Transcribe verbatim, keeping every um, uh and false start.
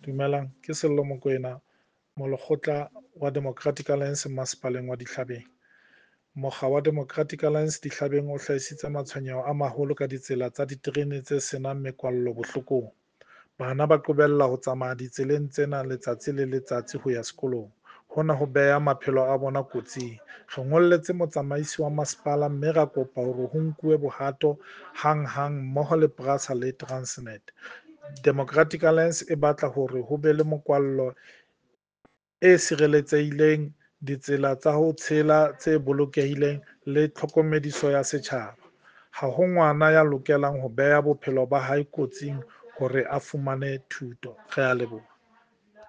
Dumelang, ke Sello Mokoena, molekgotla wa Democratic Alliance masepaleng wa Dihlabeng. Mokga wa Democratic Alliance Dihlabeng o hlahisitse matshwenyeho a maholo ka ditsela tsa diterene tse senang mekwallo bohlokong. Bana ba qobella ho tsamaya ditseleng tsena letsatsi le letsatsi ho ya sekolong. Hona ho beha maphelo a bona kotsing. Re ngolletse motsamaisi wa masepala, mme ra kopa hore ho nkuwe bohato hanghang mmoho le PRASA le Transnet. Democratic Alliance e batla hore ho be le mokwallo e sireletsehileng, ditsela tsa ho tshela tse bolokehileng le tlhokomediso ya setjhaba. Ha ho ngwana ya lokelang ho beha bophelo ba hae kotsing hore a fumane thuto. Re a leboha.